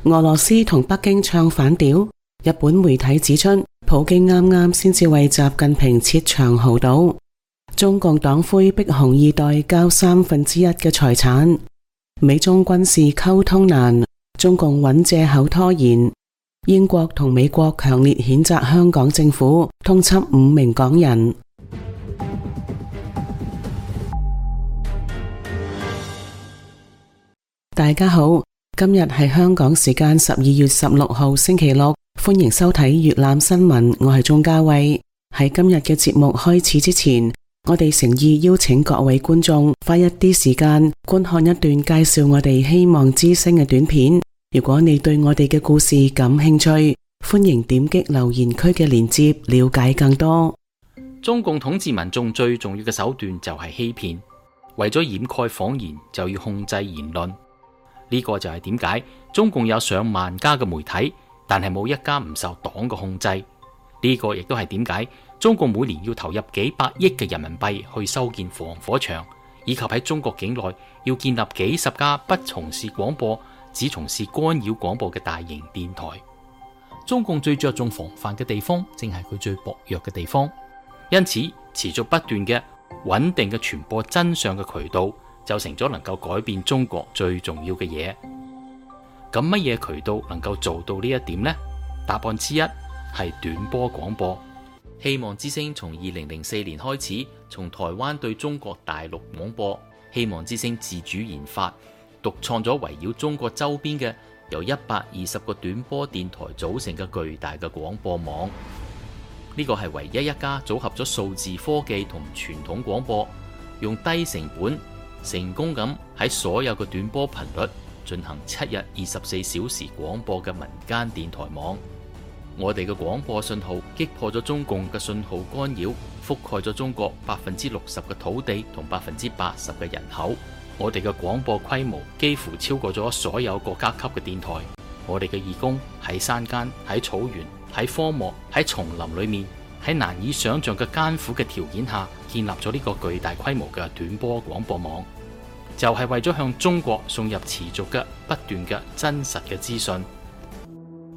俄羅斯同北京唱反調。日本媒體指出，普京啱啱先至為習近平設長豪島。中共黨魁逼紅二代交1/3嘅財產。美中軍事溝通難，中共揾借口拖延。英國同美國強烈譴責香港政府通緝5名港人。大家好，今日係香港時間12月16號星期六，歡迎收睇粵覽新聞，我係鍾嘉慧。喺今日嘅節目開始之前，我哋誠意邀請各位觀眾花一啲時間觀看一段介紹我哋希望之聲嘅短片。如果你對我哋嘅故事感興趣，歡迎點擊留言區嘅鏈接了解更多。中共統治民眾最重要嘅手段就係欺騙，為咗掩蓋謊言就要控制言論。呢個就係點解中共有上萬家嘅媒體，但係冇一家唔受黨嘅控制。呢個亦都係點解中共每年要投入幾百億嘅人民幣去修建防火牆，以及喺中國境內要建立幾十家不從事廣播，只從事干擾廣播嘅大型電台。中共最着重防範嘅地方，正係佢最薄弱嘅地方。因此，持續不斷嘅穩定嘅傳播真相嘅渠道，就成咗能夠改變中國最重要嘅嘢。咁乜嘢渠道能夠做到呢一點呢？答案之一係短波廣播。希望之聲從2004年開始，從台灣對中國大陸廣播。希望之聲自主研發、獨創咗圍繞中國周邊嘅由120個短波電台組成嘅巨大嘅廣播網。呢個係唯一一家組合咗數字科技同傳統廣播，用低成本成功咁喺所有嘅短波頻率進行7日24小時廣播嘅民間電台網。我哋嘅廣播信號擊破咗中共嘅信號干擾，覆蓋咗中國60%嘅土地同80%嘅人口。我哋嘅廣播規模幾乎超過咗所有國家級嘅電台。我哋嘅義工喺山間、喺草原、喺荒漠、喺叢林裏面，喺難以想象嘅艱苦嘅條件下，建立咗呢個巨大規模嘅短波廣播網，就係為咗向中國送入持續嘅不斷嘅真實嘅資訊。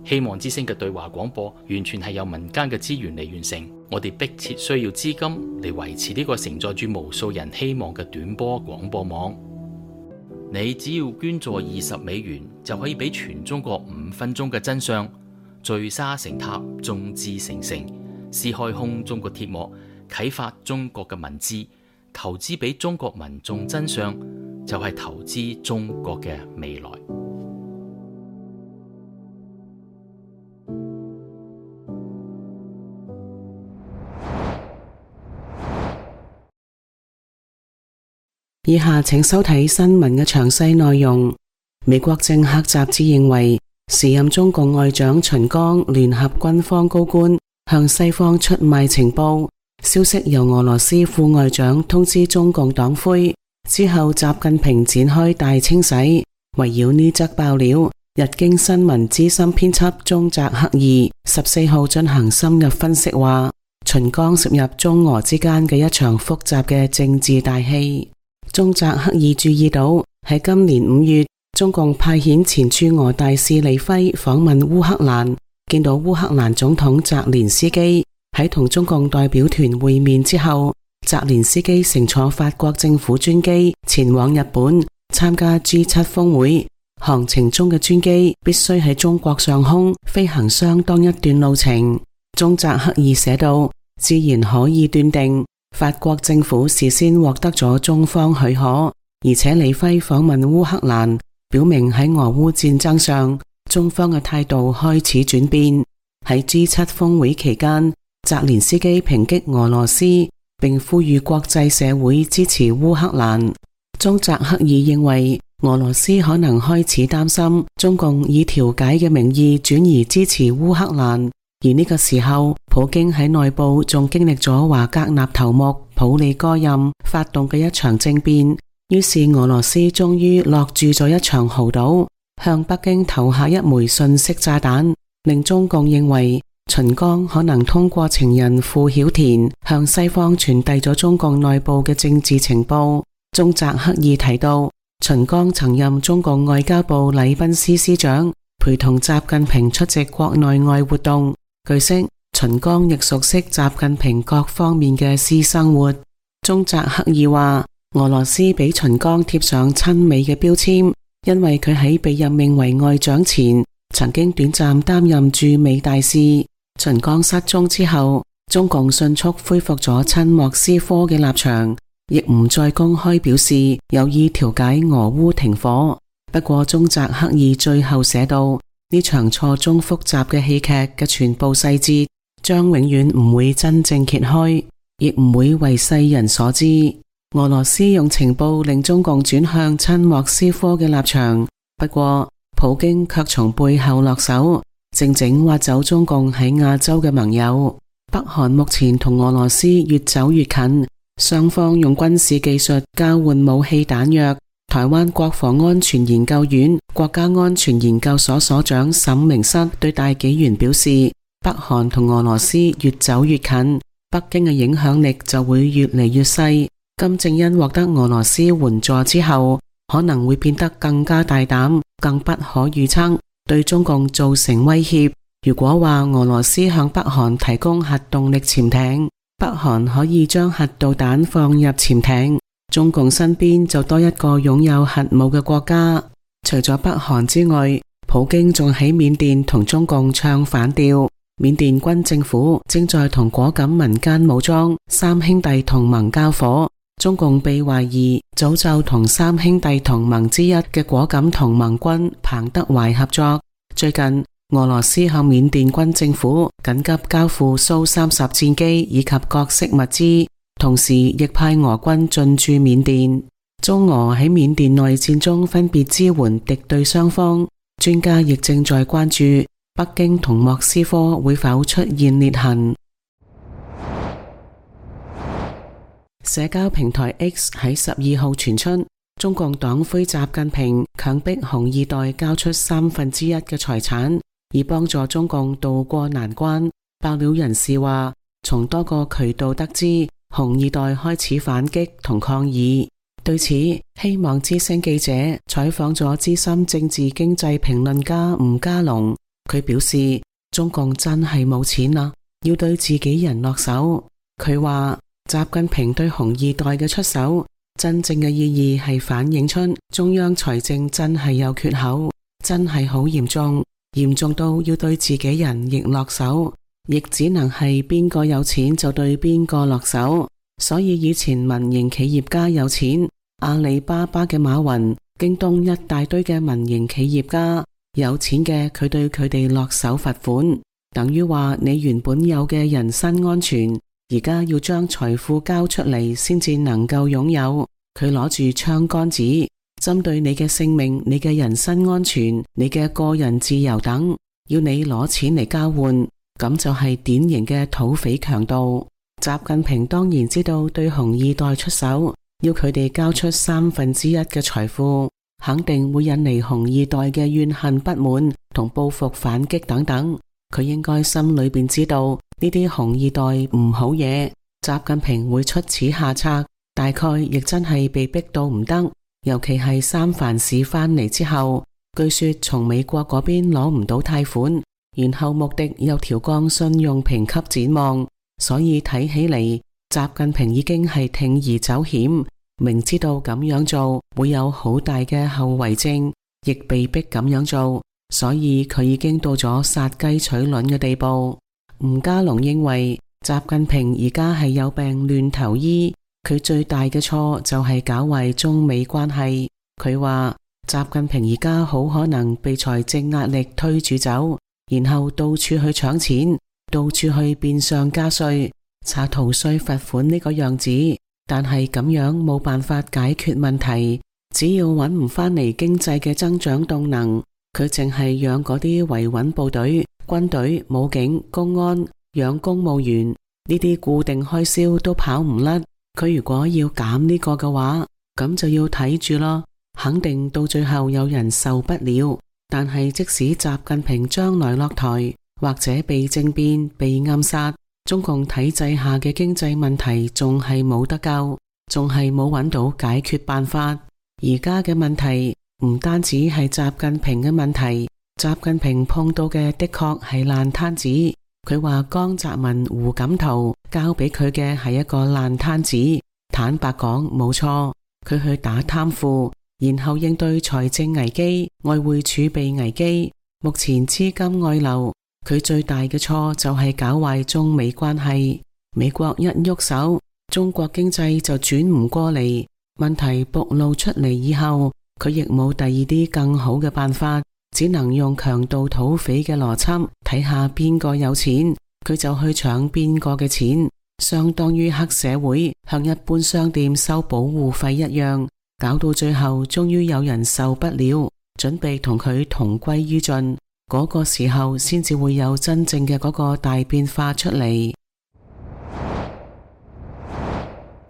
希望之聲嘅對話廣播完全係由民間嘅資源嚟完成，我哋迫切需要資金嚟維持呢個承載住無數人希望嘅短波廣播網。你只要捐助20美元，就可以俾全中國5分鐘嘅真相，聚沙成塔，眾志成城，撕開空中嘅鐵幕，啟發中國嘅文字，投資俾中國民眾真相，就係投資中國嘅未來。以下請收睇新聞嘅詳細內容。美國政客雜誌認為，時任中共外長秦剛聯合軍方高官向西方出賣情報，消息由俄羅斯副外長通知中共黨魁之後，習近平展開大清洗。圍繞呢則爆料，日經新聞資深編輯中澤克二14號進行深入分析，話秦剛涉入中俄之間嘅一場複雜嘅政治大戲。中澤克二注意到，喺今年5月，中共派遣前駐俄大使李輝訪問烏克蘭，見到烏克蘭總統澤連斯基。喺同中共代表團會面之後，澤連斯基乘坐法國政府專機前往日本參加 G7 峰會，航程中嘅專機必須喺中國上空飛行相當一段路程。中澤克二寫道，自然可以斷定法國政府事先獲得咗中方許可，而且李輝訪問烏克蘭，表明喺俄烏戰爭上，中方嘅態度開始轉變。喺 G7 峰會期間，澤連斯基抨擊俄羅斯，並呼籲國際社會支持烏克蘭。中澤克二認為，俄羅斯可能開始擔心中共以調解嘅名義轉移支持烏克蘭。而呢個時候，普京喺內部仲經歷咗華格納頭目普利戈任發動嘅一場政變，於是俄羅斯終於落注咗一場豪賭，向北京投下一枚信息炸彈，令中共認為秦剛可能通過情人傅曉田向西方傳遞咗中共內部嘅政治情報。中澤克二提到，秦剛曾任中共外交部禮賓司司長，陪同習近平出席國內外活動。據悉，秦剛亦熟悉習近平各方面嘅私生活。中澤克二話，俄羅斯俾秦剛貼上親美嘅標籤，因為佢喺被任命為外長前，曾經短暫擔任駐美大使。秦剛失蹤之後，中共迅速恢復咗親莫斯科嘅立場，亦唔再公開表示有意調解俄烏停火。不過中澤克二最後寫道，呢場錯綜複雜嘅戲劇嘅全部細節將永遠唔會真正揭開，亦唔會為世人所知。俄羅斯用情報令中共轉向親莫斯科嘅立場，不過普京卻從背後落手，靜靜挖走中共喺亞洲嘅盟友。北韓目前同俄羅斯越走越近，雙方用軍事技術交換武器彈藥。台灣國防安全研究院國家安全研究所所長沈明室對大紀元表示，北韓同俄羅斯越走越近，北京嘅影響力就會越嚟越細。金正恩獲得俄羅斯援助之後，可能會變得更加大膽，更不可預測，對中共造成威脅。如果話俄羅斯向北韓提供核動力潛艇，北韓可以將核導彈放入潛艇，中共身邊就多一個擁有核武嘅國家。除咗北韓之外，普京仲喺緬甸同中共唱反調。緬甸軍政府正在同果敢民間武裝三兄弟同盟交火，中共被懷疑早就同三兄弟同盟之一嘅果敢同盟軍彭德懷合作。最近俄羅斯向緬甸軍政府緊急交付蘇30戰機以及各式物資，同時亦派俄軍進駐緬甸。中俄喺緬甸內戰中分別支援敵對雙方，專家亦正在關注北京同莫斯科會否出現裂痕。社交平台 X 喺12號傳出，中共黨魁習近平強迫紅二代交出1/3嘅財產，以幫助中共渡過難關。爆料人士話，從多個渠道得知，紅二代開始反擊同抗議。對此，希望之聲記者採訪咗資深政治經濟評論家吳家龍，佢表示中共真係冇錢啦，要對自己人落手。佢話習近平對紅二代嘅出手，真正嘅意義係反映出中央財政真係有缺口，真係好嚴重，嚴重到要對自己人亦落手，亦只能係邊個有錢就對邊個落手。所以以前民營企業家有錢，阿里巴巴嘅馬雲、京東一大堆嘅民營企業家有錢嘅，佢對佢哋落手罰款，等於話你原本有嘅人身安全，而家要將財富交出嚟先至能夠擁有。佢攞住槍桿子，針對你嘅性命、你嘅人身安全、你嘅個人自由等，要你攞錢嚟交換，咁就係典型嘅土匪強盜。習近平當然知道對紅二代出手，要佢哋交出1/3嘅財富，肯定會引嚟紅二代嘅怨恨不滿同報復反擊等等。佢應該心裏邊知道呢啲紅二代唔好嘢，習近平會出此下策，大概亦真係被逼到唔得。尤其係三藩市翻嚟之後，據說從美國嗰邊攞唔到貸款，然後穆迪又調降信用評級展望。所以睇起嚟，習近平已經係鋌而走險，明知道咁樣做會有好大嘅後遺症，亦被逼咁樣做，所以佢已經到咗殺雞取卵嘅地步。吳家龍認為，習近平而家係有病亂投醫，佢最大嘅錯就係搞壞中美關係。佢話，習近平而家好可能被財政壓力推住走，然後到處去搶錢，到處去變相加稅、查逃稅罰款呢個樣子，但係咁樣冇辦法解決問題。只要揾唔返嚟經濟嘅增長動能，佢淨係養嗰啲維穩部隊、軍隊、武警、公安，養公務員呢啲固定開銷都跑唔甩。佢如果要減呢個嘅話，咁就要睇住咯，肯定到最後有人受不了。但係即使習近平將來落台，或者被政變、被暗殺，中共體制下嘅經濟問題仲係冇得救，仲係冇揾到解決辦法。而家嘅問題唔單止係習近平嘅問題，習近平碰到嘅的確係爛攤子。佢話江澤民、胡錦濤交俾佢嘅係一個爛攤子。坦白講，冇錯，佢去打貪腐，然後應對財政危機、外匯儲備危機，目前資金外流。佢最大嘅錯就係搞壞中美關係。美國一喐手，中國經濟就轉唔過嚟。問題暴露出嚟以後，佢亦冇第二啲更好嘅辦法，只能用強盜土匪嘅邏輯，睇下邊個有錢，佢就去搶邊個嘅錢，相當於黑社會向一般商店收保護費一樣。搞到最後，終於有人受不了，準備同佢同歸於盡。嗰個時候先至會有真正嘅嗰個大變化出嚟。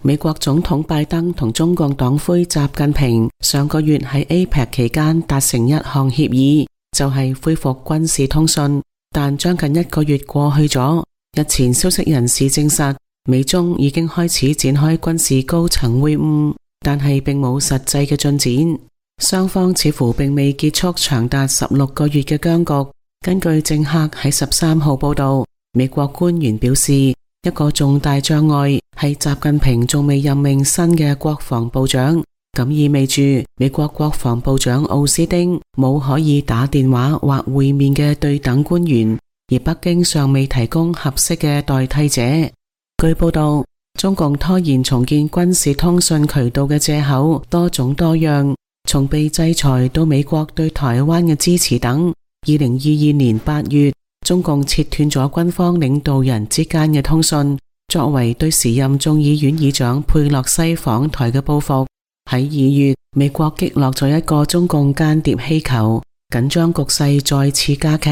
美國總統拜登同中共黨魁習近平上個月喺 APEC 期間達成一項協議，就係恢復軍事通訊。但將近1個月過去咗，日前消息人士證實，美中已經開始展開軍事高層會晤，但係並冇實際嘅進展。雙方似乎並未結束長達16個月嘅僵局。根據政客喺13號報道，美國官員表示，一個重大障礙係習近平仲未任命新嘅國防部長，咁意味住美國國防部長奧斯汀冇可以打電話或會面嘅對等官員，而北京尚未提供合適嘅代替者。據報道，中共拖延重建軍事通訊渠道嘅借口多種多樣，從被制裁到美國對台灣嘅支持等。2022年8月，中共切斷咗軍方領導人之間嘅通訊，作為對時任眾議院議長佩洛西訪台嘅報復。喺2月，美國擊落咗一個中共間諜氣球，緊張局勢再次加劇。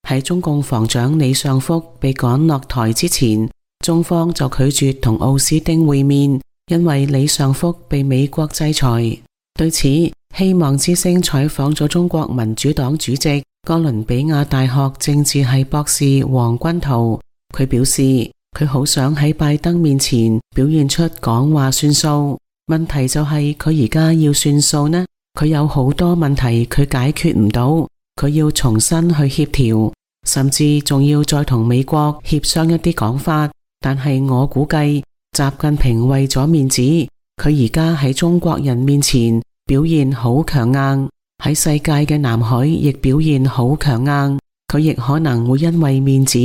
喺中共防長李尚福被趕落台之前，中方就拒絕同奧斯汀會面，因為李尚福被美國制裁。對此，希望之聲採訪咗中國民主黨主席、哥倫比亞大學政治系博士黃君濤。佢表示，佢好想喺拜登面前表現出講話算數。問題就係佢而家要算數呢？佢有好多問題佢解決唔到，佢要重新去協調，甚至仲要再同美國協商一啲講法。但係我估計，習近平為咗面子，佢而家喺中國人面前表現好強硬，喺世界嘅南海亦表現好強硬。佢亦可能會因為面子，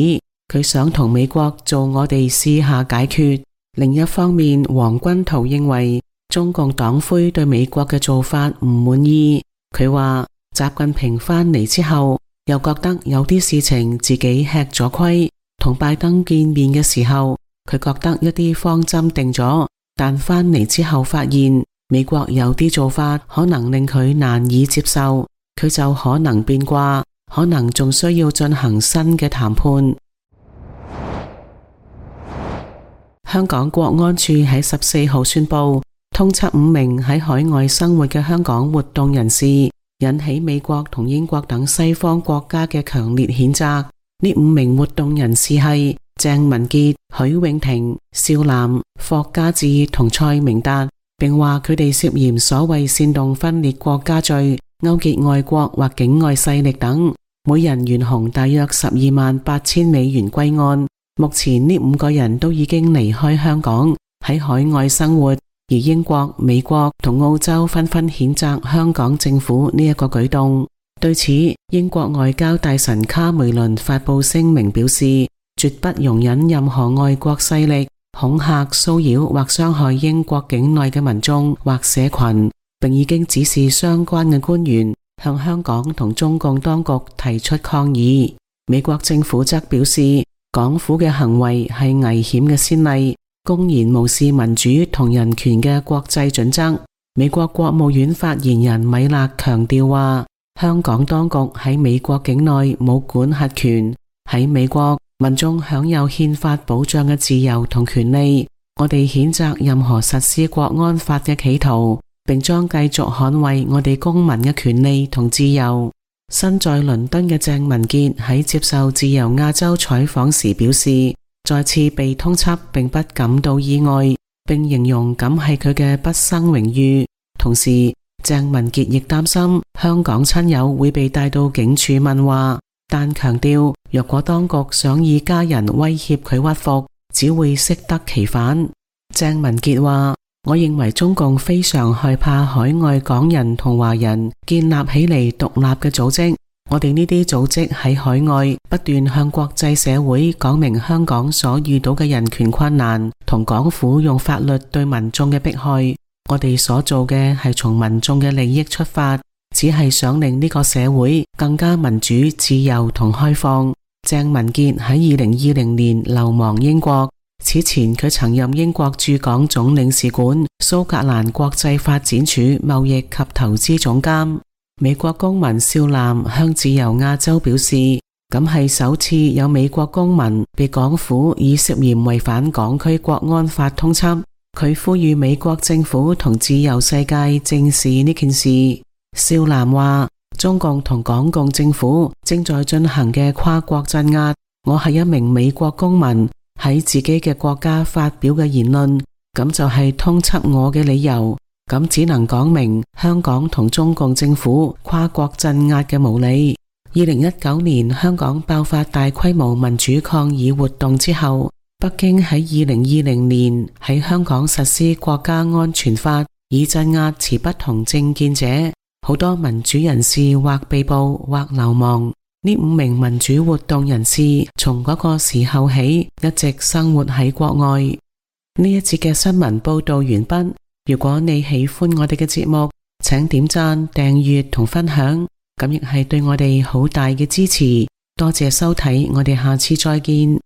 佢想同美國做我哋試下解決。另一方面，黃君濤認為中共黨魁對美國嘅做法唔滿意。佢話習近平返嚟之後，又覺得有啲事情自己吃咗虧。同拜登見面嘅時候，佢覺得一啲方針定咗，但返嚟之後發現美國有啲做法可能令佢難以接受，佢就可能變卦，可能仲需要進行新嘅談判。香港國安處喺14號宣布通緝5名喺海外生活嘅香港活動人士，引起美國同英國等西方國家嘅強烈譴責。呢5名活動人士係鄭文傑、許永婷、邵嵐、霍家志同蔡明達，並話佢哋涉嫌所謂煽動分裂國家罪、勾結外國或境外勢力等，每人懸紅大約128000美元歸案。目前呢5個人都已經離開香港，喺海外生活，而英國、美國同澳洲紛紛譴責香港政府呢一個舉動。對此，英國外交大臣卡梅倫發布聲明表示，絕不容忍任何外國勢力恐嚇、騷擾或傷害英國境內嘅民眾或社群，並已經指示相關嘅官員向香港同中共當局提出抗議。美國政府則表示，港府嘅行為係危險嘅先例，公然無視民主同人權嘅國際準則。美國國務院發言人米勒強調話，香港當局喺美國境內冇管轄權，喺美國民眾享有憲法保障嘅自由同權利。我哋譴責任何實施國安法嘅企圖，並將繼續捍衛我哋公民嘅權利同自由。身在倫敦嘅鄭文傑喺接受自由亞洲採訪時表示，再次被通緝並不感到意外，並形容咁係佢嘅畢生榮譽。同時，鄭文傑亦擔心香港親友會被帶到警署問話，但強調若果當局想以家人威脅佢屈服，只會適得其反。鄭文傑話：我認為中共非常害怕海外港人同華人建立起嚟獨立嘅組織，我哋呢啲組織喺海外不斷向國際社會講明香港所遇到嘅人權困難同港府用法律對民眾嘅迫害。我哋所做嘅係從民眾嘅利益出發，只係想令呢個社會更加民主、自由同開放。鄭文傑喺2020年流亡英國，此前佢曾任英國駐港總領事館、蘇格蘭國際發展署貿易及投資總監。美國公民少南向自由亞洲表示，咁係首次有美國公民被港府以涉嫌違反港區國安法通緝。佢呼籲美國政府同自由世界正視呢件事。少南話：中共同港共政府正在進行嘅跨國鎮壓，我係一名美國公民喺自己嘅國家發表嘅言論，咁就係通緝我嘅理由。咁只能講明香港同中共政府跨國鎮壓嘅無理。2019年香港爆發大規模民主抗議活動之後，北京喺2020年喺香港實施國家安全法，以鎮壓持不同政見者。好多民主人士或被捕或流亡。呢5名民主活動人士從嗰個時候起一直生活喺國外。呢一節嘅新聞報道完畢。如果你喜歡我哋嘅節目，請點讚、訂閱同分享，咁亦係對我哋好大嘅支持。多謝收睇，我哋下次再見。